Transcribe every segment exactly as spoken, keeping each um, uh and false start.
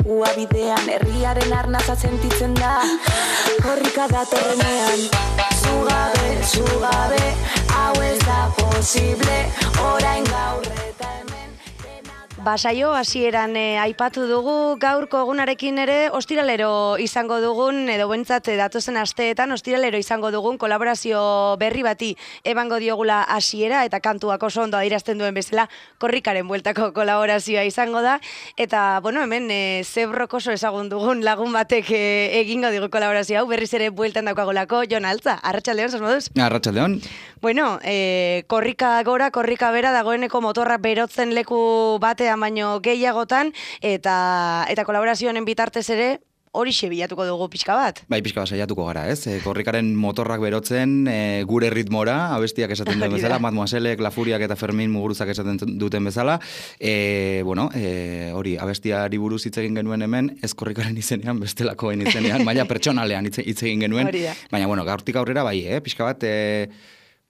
uabidean, herriaren arnaza sentitzen da, korrika datorrenean. Zugabe, zugabe, hau ez da posible, orain gaur eta hemen. Basaio hasieran eh, aipatu dugu, gaurko egunarekin ere ostiralero izango dugun, edo bentsat datozen asteetan ostiralero izango dugun kolaborazio berri bati ebango diogula hasiera eta kantuak oso ondo adierazten duen bezala korrikaren bueltako kolaborazioa izango da, eta bueno, hemen e, zebrok oso ezagun dugun lagun batek e, egingo digu kolaborazio hau, berriz ere bueltan daukagolako, Jon Altza, arratsaldeon, zer moduz? Arratsaldeon. Bueno, e, korrika gora, korrika bera, dagoeneko motorra berotzen leku batean baino gehiagotan, eta eta kolaborazio honen bitartez ere horixe bilatuko dugu pixka bat. Bai, pixka bat saiatuko gara, ez? E, korrikaren motorrak berotzen e, gure ritmora, abestiak esaten duen bezala, Mademoiselek, La Furiak eta Fermin Muguruzak esaten duten bezala. E, bueno, e, hori, abestiari buruz hitz egin genuen hemen, ez korrikaren izenean, bestelakoen izenean, maila pertsonalean hitz egin genuen. Baina, bueno, gaurtik aurrera bai, eh? Pixka bat, e,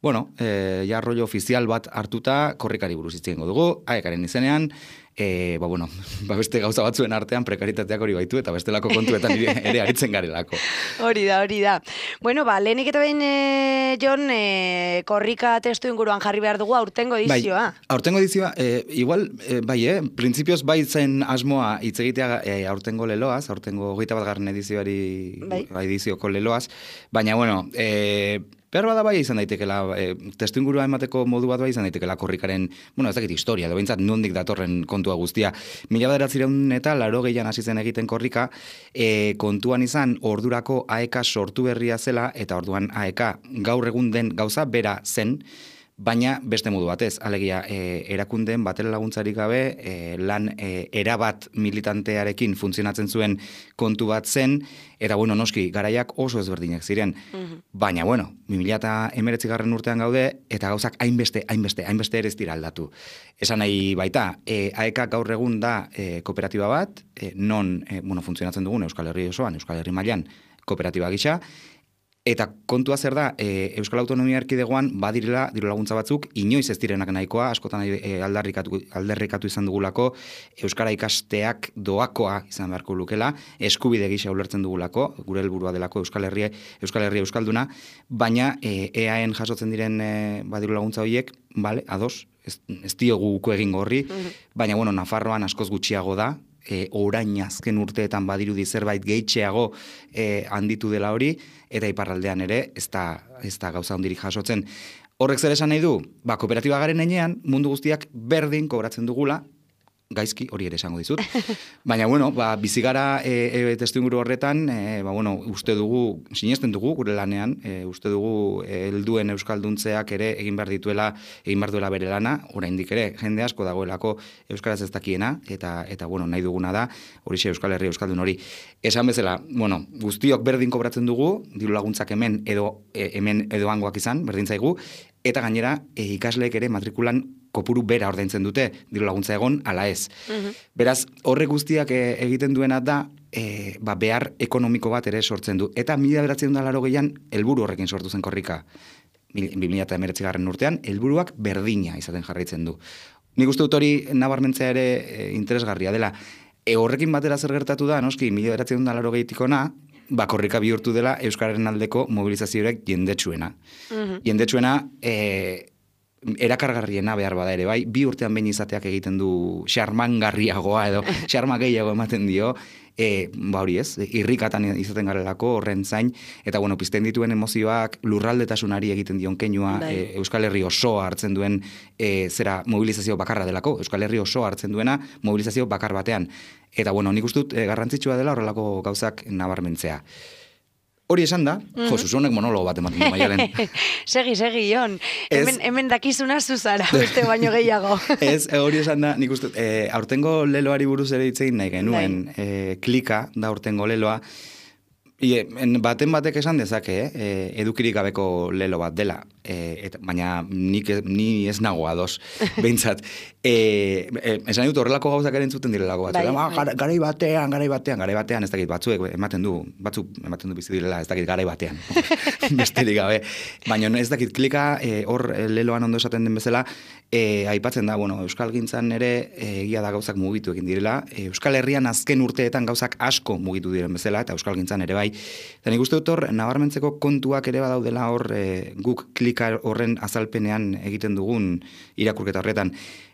bueno, e, ja rollo ofizial bat hartuta korrikari buruz hitz egingo dugu, aekaren izenean. E, ba, bueno, ba beste gauza batzuen artean prekaritateak hori baitu eta bestelako kontuetan ere aritzen garelako. Hori da, hori da. Bueno, ba, lehenik eta behin, e, Jon, e, korrika testu inguruan jarri behar dugu aurtengo edizioa. Bai, aurtengo edizioa, e, igual, e, bai, eh, printzipioz bai zen asmoa hitz egitea e, aurtengo leloaz, aurtengo hogeita bat garren edizioari, bai. Edizioko leloaz, baina, bueno, e, behar bada bai izan daitekela, e, testu ingurua emateko modu bat bai izan daitekela korrikaren, bueno, ez dakit historia, edo behintzat nondik datorren kontua guztia. Mila bederatziehun eta laro gehian hasi zen egiten korrika, e, kontuan izan ordurako A E K sortu berria zela, eta orduan A E K gaur egun den gauza bera zen, baina beste modu batez, alegia e, erakundeen batera laguntzarik gabe, e, lan e, erabat militantearekin funtzionatzen zuen kontu bat zen, eta bueno, noski, garaiak oso ezberdinak ziren. Uh-huh. Baina, bueno, bi mila hemeretzi garren urtean gaude, eta gauzak hainbeste, hainbeste, hainbeste ere ez dira aldatu. Esan nahi baita, e, A E K gaur egun da e, kooperatiba bat, e, non, e, bueno, funtzionatzen dugun Euskal Herri osoan, Euskal Herri mailan kooperatiba gisa, eta kontua zer da, e, Euskal Autonomia Erkidegoan badirela diru laguntza batzuk, inoiz ez direnak nahikoa, askotan e, aldarrikatu, aldarrikatu izan dugulako, Euskara ikasteak doakoa izan beharko lukela, eskubide gisa ulertzen dugulako, gure helburua delako Euskal Herria, Euskal Herria Euskalduna, baina e, E A En jasotzen diren e, badiru laguntza horiek, bale, ados, ez, ez diogu uko egin gorri, uh-huh. Baina, bueno, Nafarroan askoz gutxiago da, E, orain azken urteetan badirudi zerbait gehitxeago e, handitu dela hori, eta iparraldean ere ez da, ez da gauza hondirik jasotzen. Horrek zer esan nahi du? Ba, kooperatiba garen heinean, mundu guztiak berdin kobratzen dugula, gaizki hori ere esango dizut. Baina, bueno, ba, bizigara e, e, testu inguru horretan, e, ba, bueno, uste dugu, sinesten dugu gure lanean, e, uste dugu helduen euskalduntzeak ere egin behar dituela, egin behar duela bere lana, oraindik ere, jende asko dagoelako euskaraz ez dakiena, eta, eta bueno, nahi duguna da, horixe Euskal Herria Euskaldun hori. Esan bezala, bueno, guztiok berdin kobratzen dugu, diru laguntzak hemen edo e, hemen edo hangoak izan, berdin zaigu, eta gainera e, ikasleek ere matrikulan kopuru bera ordaintzen dute, diru laguntza egon, ala ez. Uh-huh. Beraz, horre guztiak e, egiten duena da, e, ba, behar ekonomiko bat ere sortzen du. Eta mila bederatziehun eta laurogeian helburu horrekin sortu zen korrika. bi mila hemeretzi garren urtean, helburuak berdina izaten jarraitzen du. Nik uste dut hori nabarmentzea ere e, interesgarria dela. E, horrekin batera zer gertatu da, noski, mila bederatziehun eta laurogeitik ona, ba, korrika bihurtu dela Euskararen aldeko mobilizazioak jendetsuena. Uh-huh. Jendetsuena, e, erakargarriena behar bada ere, bai, bi urtean behin izateak egiten du xarmangarriagoa edo xarma gehiago ematen dio, e, ba hori ez, irrikatan izaten garelako horren zain, eta bueno, pizten dituen emozioak lurraldetasunari egiten dion keinua, e, Euskal Herri osoa hartzen duen e, zera mobilizazio bakarra delako, Euskal Herri osoa hartzen duena mobilizazio bakar batean. Eta bueno, nik uste dut e, garrantzitsua dela horrelako gauzak nabarmentzea. Hori esan da, mm-hmm. jo, Susonek monologo bat ematen du Maialen. Segi, segi, Jon. Hemen, hemen dakizuna zuzara, beste baino gehiago. Ez, hori esan da, nik uste, e, aurtengo leloari buruz ere hitz egin nahi genuen, e, klika da aurtengo leloa, Ie, baten batek esan dezake, eh? edukirik gabeko lelo bat dela, eh, eta, baina nik, ni ez nago ados, behintzat. Eh, eh, esan dut horrelako gauzak eren zuten direlako bat. Bai, bai. Garai batean, garai batean, garai batean, ez dakit batzuek ematen du, batzuk ematen du bizi direla, ez dakit garai batean. Besterik gabe. Baina ez dakit klika, hor eh, leloan ondo esaten den bezala, eh, aipatzen da, bueno, Euskal Gintzan ere egia da gauzak mugitu egin direla. Eh, Euskal Herrian azken urteetan gauzak asko mugitu diren bezala, eta Euskal Gintzan ere bai. Eta nik uste dut hor, nabarmentzeko kontuak ere badaudela hor e, guk klika horren azalpenean egiten dugun irakurketa horretan.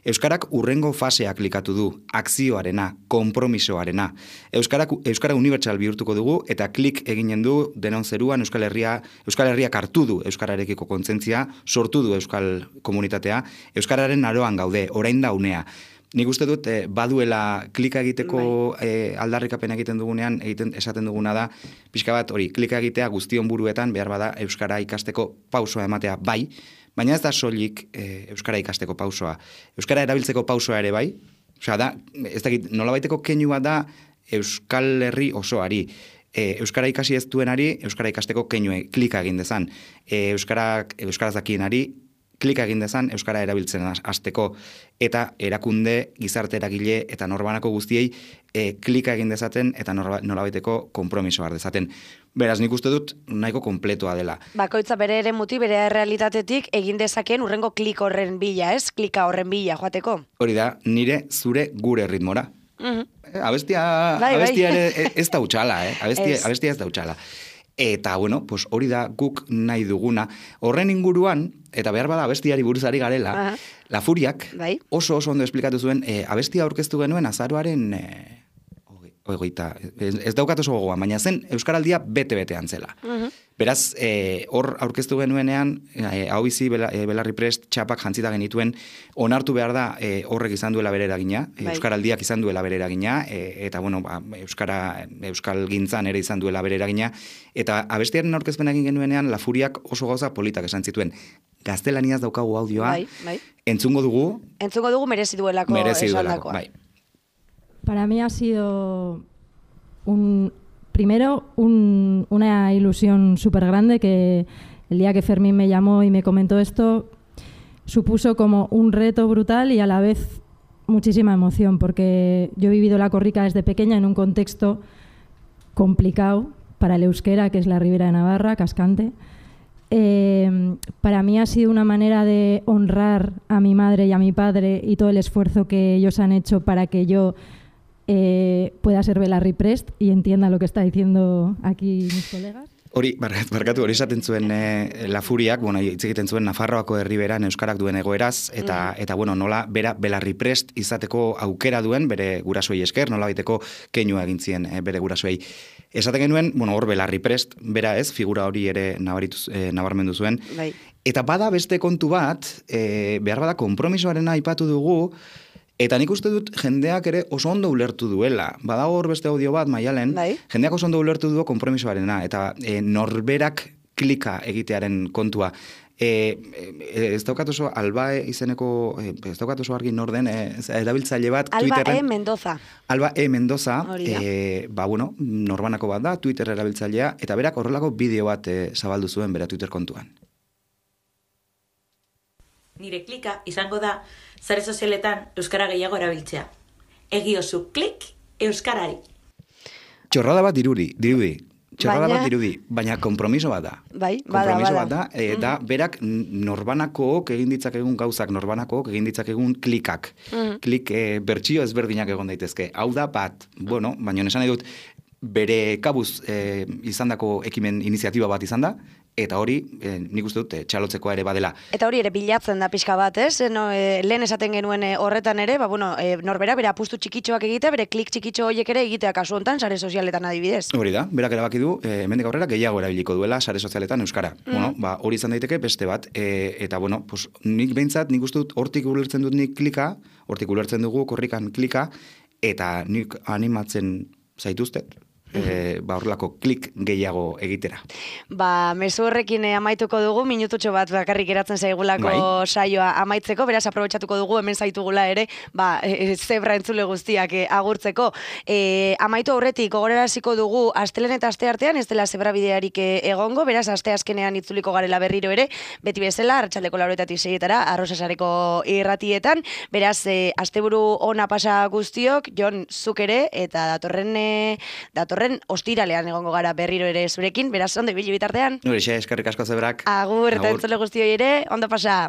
Euskarak urrengo fasea klikatu du, akzioarena, konpromisoarena. Euskarak, Euskara unibertsal bihurtuko dugu, eta klik eginen du denon zeruan Euskal Herria, Euskal Herriak hartu du Euskararekiko kontzentzia, sortu du Euskal komunitatea, Euskararen aroan gaude, orain da unea. Nik uste dut, eh, baduela klika egiteko eh, aldarrikapen egiten dugunean, egiten esaten duguna da, pixka bat hori, klika egitea guztion buruetan, behar bada Euskara ikasteko pausoa ematea bai, baina ez da soilik eh, Euskara ikasteko pausoa. Euskara erabiltzeko pausoa ere bai, osea da, ez dakit, nolabaiteko keinua da Euskal Herri osoari. E, Euskara ikasi ez duenari, Euskara ikasteko keinue klika egin dezan. E, Euskara, Euskaraz dakienari, klika egin dezan Euskara erabiltzen hasteko, eta erakunde, gizarte eragile eta norbanako guztiei e, klika egin dezaten eta nolabaiteko konpromiso har dezaten. Beraz, nik uste dut nahiko konpletoa dela. Bakoitza bere ere muti, bere realitatetik egin dezakeen urrengo klik horren bila, ez? Klika horren bila joateko. Hori da, nire zure gure ritmora. Uh-huh. Abestia, bai, abestia bai. ere ez da utxala, eh? Abestia, es. abestia ez da utxala. Eta, bueno, pues hori da guk nahi duguna. Horren inguruan, eta behar bada abestiari buruzari garela, uh-huh. La Furiak bai. oso oso ondo esplikatu zuen, e, abestia aurkeztu genuen azaroaren, e, ogeita, ez, ez daukat oso gogoan, baina zen Euskaraldia bete-betean zela. Uh-huh. Beraz, e, hor aurkeztu genuenean, e, hau bizi bela, e, Belarri Prest txapak jantzita genituen, onartu behar da e, horrek izan duela bere eragina, bai. Euskaraldiak izan duela bere eragina, e, eta bueno, ba, Euskara, Euskal Gintzan ere izan duela bere eragina, eta abestiaren aurkezpen egin genuenean, La Furiak oso gauza politak esan zituen. Gaztelaniaz daukagu audioa, bai, bai. entzungo dugu. Entzungo dugu merezi duelako. Merezi duelako, bai. Para mí ha sido un... Primero, un, una ilusión súper grande que el día que Fermín me llamó y me comentó esto supuso como un reto brutal y a la vez muchísima emoción, porque yo he vivido la corrica desde pequeña en un contexto complicado para el euskera, que es la Ribera de Navarra, Cascante. Eh, para mí ha sido una manera de honrar a mi madre y a mi padre y todo el esfuerzo que ellos han hecho para que yo Eh, pueda ser Belarri Prest y entienda lo que está diciendo aquí mis colegas. Hori, barkatu, hori esaten zuen e, La Furiak, bueno, hitz egiten zuen Nafarroako herriberan euskarak duen egoeraz, eta, mm. eta bueno, nola bera Belarri Prest izateko aukera duen, bere gurasoei esker, nola baiteko keinua egin zien e, bere gurasoei. Esaten genuen, bueno, hor Belarri Prest, bera ez, figura hori ere nabarituz, e, nabarmendu zuen. Bai. Eta bada beste kontu bat, e, behar bada konpromisoarena aipatu dugu, eta nik uste dut jendeak ere oso ondo ulertu duela. Badago hor beste audio bat, Maialen, bai. Jendeak oso ondo ulertu du konpromisoarena, eta e, norberak klika egitearen kontua. E, e, ez daukat oso Alba izeneko, e, ez daukat oso argi norden, e, erabiltzaile bat Alba Twitterren. E. Mendoza. Alba E. Mendoza, e, ba, bueno, norbanako bat da, Twitter erabiltzailea, eta berak horrelako bideo bat e, zabaldu zuen bera Twitter kontuan. Nire klika izango da sare sozialetan euskara gehiago erabiltzea. Egiozu klik euskarari. Txorrada bat dirudi, dirudi. Txorrada baina... bat dirudi, baina kompromiso bat da. Bai, bada, kompromiso bada. bat da, e, da mm-hmm. berak norbanakook egin ditzakegun gauzak, norbanakook egin ditzakegun klikak. Mm-hmm. Klik e, bertsio ezberdinak egon daitezke. Hau da bat, bueno, baina esan nahi dut, bere kabuz e, izandako ekimen iniziatiba bat izan da, eta hori, e, nik uste dut, e, txalotzekoa ere badela. Eta hori ere bilatzen da pixka bat, ez? No, e, lehen esaten genuen e, horretan ere, ba, bueno, e, norbera, bere apustu txikitxoak egitea, bere klik txikitxo horiek ere egitea kasu hontan, sare sozialetan adibidez. Hori da, berak erabaki du, e, hemendik aurrera gehiago erabiliko duela sare sozialetan euskara. Mm. Bueno, ba, hori izan daiteke beste bat, e, eta bueno, pues, nik behintzat, nik uste dut, hortik ulertzen dut nik klika, hortik ulertzen dugu korrikan klika, eta nik animatzen zaituztet, e, ba, horrelako klik gehiago egitera. Ba, mezu horrekin amaituko dugu, minututxo bat bakarrik eratzen zaigulako bai. Saioa amaitzeko, beraz aprobetxatuko dugu, hemen zaitugula ere, ba, e, zebra entzule guztiak e, agurtzeko. E, amaitu aurretik, gogoraraziko dugu, astelen eta aste artean, ez dela zebra bidearik egongo, beraz, aste azkenean itzuliko garela berriro ere, beti bezala, arratsaldeko lauroetatik seietara, arrosasareko irratietan, beraz, e, asteburu ona pasa guztiok, Jon, zuk ere, eta datorren, e, datorren ostiralean egongo gara berriro ere zurekin, beraz, ondo ibili bitartean. Nure, eskerrik asko zebrak. Agur, eta entzule guztioi ere, ondo pasa.